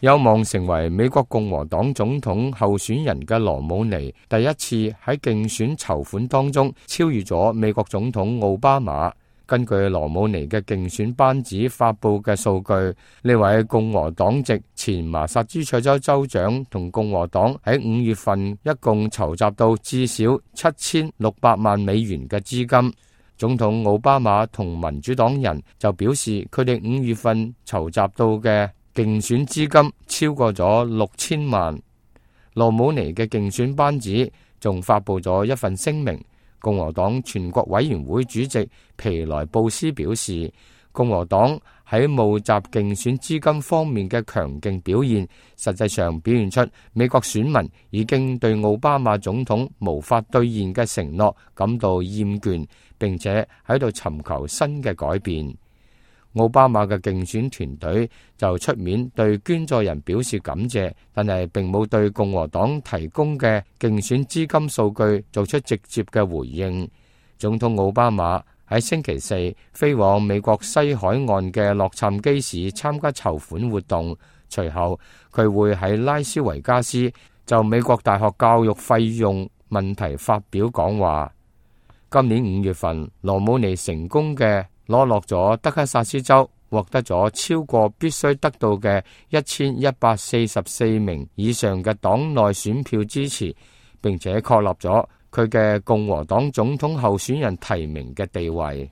有望成為美國共和黨總統候選人嘅羅姆尼，第一次喺競選籌款當中超越咗美國總統奧巴馬。根據羅姆尼嘅競選班子發佈嘅數據，呢位共和黨籍前麻薩諸塞州州長同共和黨喺5月份一共籌集到至少7600萬美元嘅資金。總統奧巴馬同民主黨人就表示，佢哋5月份籌集到嘅競選資金超過咗6000萬。羅姆尼嘅競選班子仲發佈咗一份聲明。共和黨全國委員會主席皮萊布斯表示，共和黨喺募集競選資金方面嘅強勁表現，實際上表現出美國選民已經對奧巴馬總統無法兌現嘅承諾感到厭倦，並且喺度尋求新嘅改變。奧巴馬嘅競選團隊就出面對捐助人表示感謝，但係並冇對共和黨提供嘅競選資金數據做出直接嘅回應。總統奧巴馬喺星期四飛往美國西海岸嘅洛杉磯市參加籌款活動，隨後佢會喺拉斯維加斯就美國大學教育費用問題發表講話。今年5月份，羅姆尼成功嘅攞落咗德克薩斯州，獲得咗超過必須得到嘅1144名以上嘅黨內選票支持，並且確立咗佢嘅共和黨總統候選人提名嘅地位。